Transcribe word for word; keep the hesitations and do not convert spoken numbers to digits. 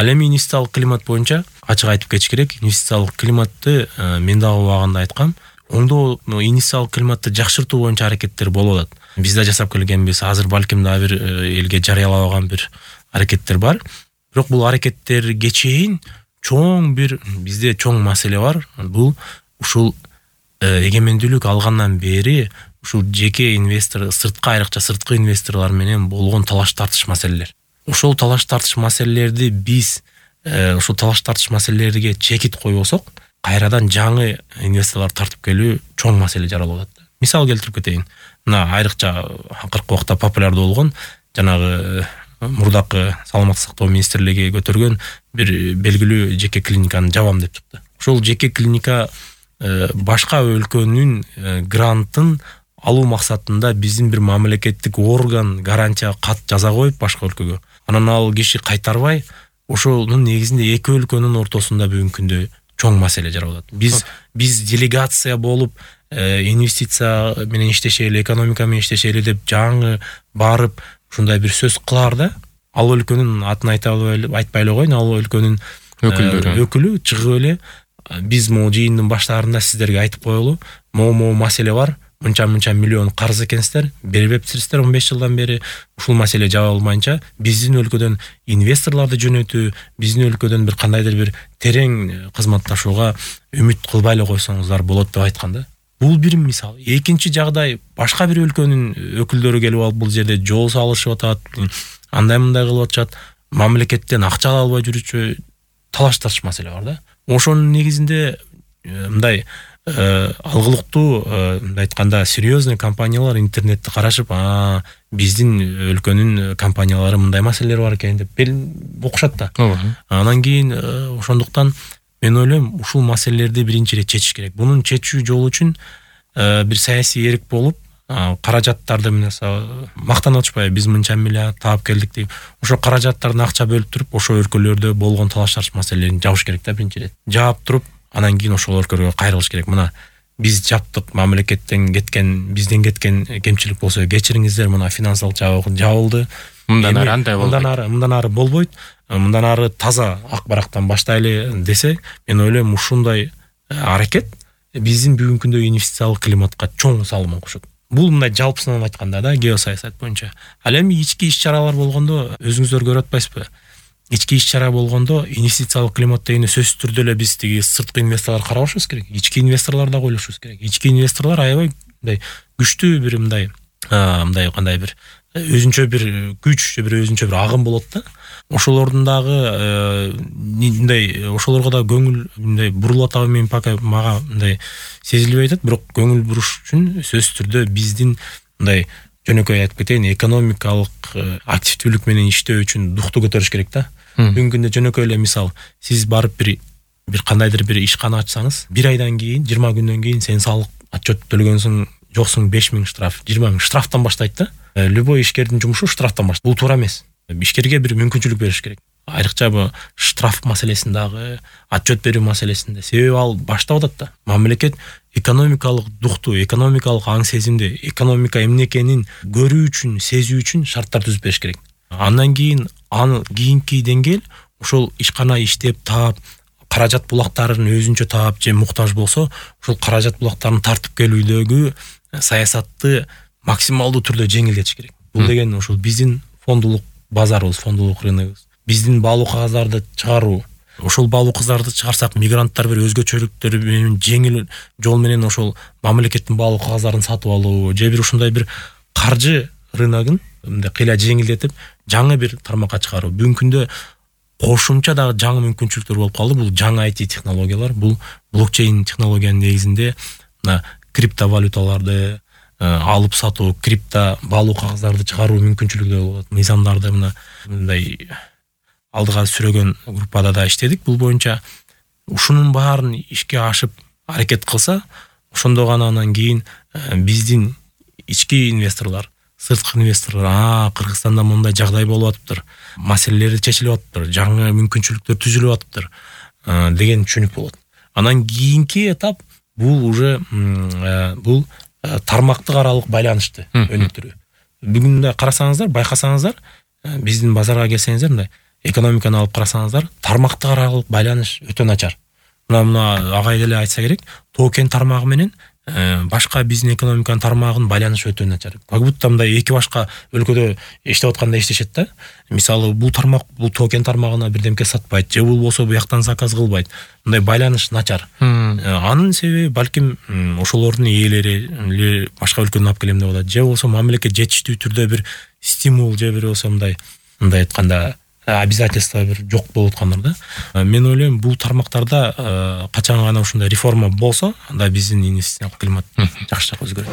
Ал эми инвестициялык климат боюнча ачык айтып кетиш керек. Инвестициялык климатты мен дагы убагында айткам. Оңдоо инвестициялык климатты жакшыртуу боюнча аракеттер болуп атат. Биз да жасап келгенбиз. Азыр балким дагы бир элге жарыялабаган бир аракеттер бар. Бирок бул аракеттерге чейин чоң бир бизде чоң маселе бар. Бул ушул эгемендүүлүк алгандан бери ушул жеке инвестор, сырткы айрыкча сырткы инвесторлор менен болгон талаш тартыш маселелер. Ошол талаш тартыш маселелерди биз ошол талаш тартыш маселелерге чекит койбосок, кайрадан жаңы инвесторлор тартып келүү чоң маселе жаралып атат. Мисал келтирип кетейин. Мына айрыкча акыркы убакта популярдуу болгон жанагы мурдакы саламаттык сактоо министрлиги көтөргөн бир белгилүү жеке клиниканы жабам деп чыкты. Ошол жеке клиника башка өлкөнүн грантын алуу максатында биздин бир мамлекеттик орган гарантия кат жаза коюп башка өлкөгө. Анан ал киши кайтарбай, ошонун негизинде эки өлкөнүн ортосунда бүгүнкү күндө чоң маселе жаралып атат. Биз биз делегация болуп инвестиция менен иштешели, экономика менен иштешели деп жаңы барып ушундай бир сөз кылаар да, ал өлкөнүн атын айта айтпай эле коеюн, ал өлкөнүн өкүлдөрү өкүлү чыгып эле биз могу жыйындын баштарында сиздерге айтып коелу, могу маселе бар, мынча-мынча миллион карыз экенсиздер, бербептирсиздер он беш жылдан бери, ушул маселе жабылмайынча биздин өлкөдөн инвесторлорду жөнөтүү, биздин өлкөдөн бир кандайдыр бир терең кызматташууга үмүт кылбай эле койсоңуздар болот деп айткан да. Бул бир мисал. Экинчи жагдай, башка бир өлкөнүн өкүлдөрү келип алып бул жерде жол салышып атат, андай мындай кылып атышат, мамлекеттен акча ала албай жүрүчү талаш тартыш маселе бар да. Ошонун негизинде мындай алгылыктуу, мындай айтканда серьезный компаниялар интернетти карашып, а биздин өлкөнүн компаниялары мындай маселелер бар экен деп окушат да. Анан кийин ошондуктан мен ойлойм, ушул маселелерди биринчи ирет чечиш керек. Бунун чечүү жолу үчүн бир саясий эрк болуп, каражаттарды мактанып атышпайбы, биз мынча миллиард таап келдик деп. Ошо каражаттарды акча бөлүп туруп, ошо өлкөлөрдө болгон талаш тартыш маселелерин жабыш керек да биринчи ирет. Жаап туруп, анан кийин ошол өлкөлөргө кайрылыш керек. Мына биз жаптык, мамлекеттен кеткен, бизден кеткен кемчилик болсо кечириңиздер, мына финансылык жабылды. Мындан ары андай болбойт. Мындан ары, мындан ары болбойт. Мындан ары таза ак барактан баштайлы десе, мен ойлойм ушундай аракет биздин бүгүнкү күндө инвестициялык климатка чоң салымын кошот. Бул мындай жалпысынан айтканда да, геосаясат боюнча. Ал эми ички иш-чаралар болгондо өзүңүздөр көрүп атпайсызбы? Ички иш-чара болгондо инвестициялык климат дегенде сөзсүз түрдө эле биз тиги сырткы инвесторлор карабашыбыз керек. Ички инвесторлор дагы ойлошубуз керек. Ички инвесторлор аябай мындай күчтүү бир мындай мындай кандай бир өзүнчө бир күч, бир өзүнчө бир агым болот да. Ошолордун дагы мындай ошолорго да көңүл мындай бурулуп атабы мен пока мага мындай сезилбей атат, бирок көңүл буруш үчүн сөзсүз түрдө биздин мындай жөнөкөй айтып кетейин, экономикалык активдүүлүк менен иштөө үчүн дукту көтөрүш керек да. Бүгүнкү күндө жөнөкөй эле мисал, сиз барып бир бир кандайдыр бир ишкана ачсаңыз, бир айдан кийин, жыйырма күндөн кийин сен салык отчет төлөгөнсүң, жоксуң беш миң штраф, жыйырма миң штрафтан баштайт да. Любой ишкердин жумушу штрафтан баштайт. Бул туура эмес. Ишкерге бир мүмкүнчүлүк бериш керек. Айрыкча бу штраф маселесиндагы, отчет берүү маселесинде. Себеби ал баштап атат да. Мамлекет экономикалык дукту, экономикалык аң сезимди, экономика эмне экенин көрүү үчүн, сезүү үчүн шарттар түзүп бериш керек. Андан кийин аны кийинки деңгээл ошол ишкана иштеп таап, каражат булактарын өзүнчө таап же муктаж болсо, ошол каражат булактарын тартып келүүдөгү саясатты максималдуу түрдө жеңилдетиш керек. Бул деген ошол биздин фондулук базарыбыз, фондулук рыногубуз, биздин баалуу кагаздарды чыгаруу. Ошол баалуу кагаздарды чыгарсак, мигранттар бир өзгөчөлүктөр менен жеңил жол менен ошол мамлекеттин баалуу кагаздарын сатып алуу, же бир ушундай бир каржы рыногун мындай кыйла жеңилдетип, жаңы бир тармакка чыгаруу. Бүгүнкү күндө кошумча дагы жаңы мүмкүнчүлүктөр болуп калды. Бул жаңы ай ти технологиялар, бул блокчейн технологиянын негизинде мына криптовалюталарды алып сатуу, крипто баалуу кагаздарды чыгаруу мүмкүнчүлүгү болот. Мыйзамдарды мына мындай алдыга сүрөгөн группада да иштедик бул боюнча. Ушунун баарын ишке ашып аракет кылса, ошондо гана анан кийин биздин ички инвесторлор, сырткы инвесторлор, а Кыргызстанда мындай жагдай болуп атыптыр, маселелери чечилип атыптыр, жаңы мүмкүнчүлүктөр түзүлүп атыптыр деген түшүнүк болот. Анан кийинки этап бул уже бул тармактык аралык байланышты өнүктүрүү. Бүгүн карасаңыздар, байкасаңыздар, биздин базарга келсеңиздер, мындай экономиканы алып карасаңыздар, тармактар аралык байланыш өтө начар. Мына мына агай деле айтса керек, токен тармагы менен башка биздин экономиканын тармагынын байланышы өтө начар. Как будто мындай эки башка өлкөдө иштеп атканда иштешет да. Мисалы, бул тармак бул токен тармагына бирдемке сатпайт, же бул болсо бияктан заказ кылбайт. Мындай байланыш начар. Анын себеби балким ошолордун ээлери башка өлкөдөн алып келем деп атат, же болсо мамлекет жетиштүү түрдө бир стимул, же бир болсо мындай мындай айтканда обязательство бир жок болуп аткандар да. Мен ойлойм, бул тармактарда качан гана ушундай реформа болсо, анда биздин инвестициялык климат жакшыраак өзгөрөт.